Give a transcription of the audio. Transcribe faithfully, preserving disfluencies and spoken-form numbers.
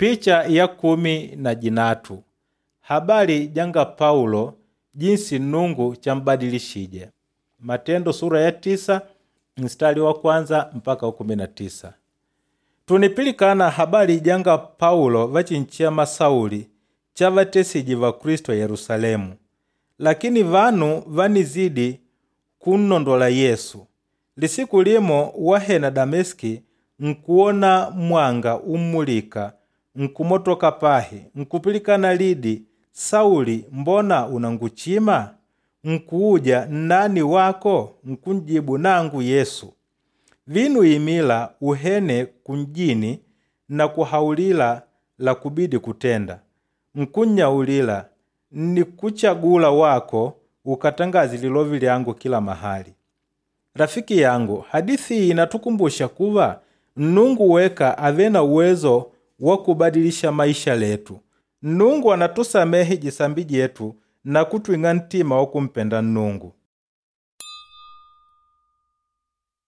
Picha ya kumi na jinatu habari janga Paulo jinsi Nnungu chambadilishije. Matendo sura ya tisa mstari wa kwanza mpaka wa kumi na tisa. Tunipilikana habari janga Paulo vachinchema Sauli chavatesije Vakristo Yerusalemu. Lakini vanu vanizidi kunnondola Yesu. Lisiku limo wahena Dameski nkuwona mwanga ummulika nkumotoka pahi nkupilikana lidi, Sauli mbona unanguchima? Nkuuja nnani wako? Nkunjibu nangu Yesu. Vinu imila uhene kunjini na kuhaulila la kubidi kutenda. Nkunnyaulila nnikuchagula wako ukatangaze lilovi lyangu kila mahali. Rafiki yangu, hadithi iyi inatukumbusha kuva Nnungu weka ave na uwezo wa kubadilisha maisha letu. Nnungu anatusamehe jisambi jetu na kutwing'a ntima wa kumpenda Nnungu.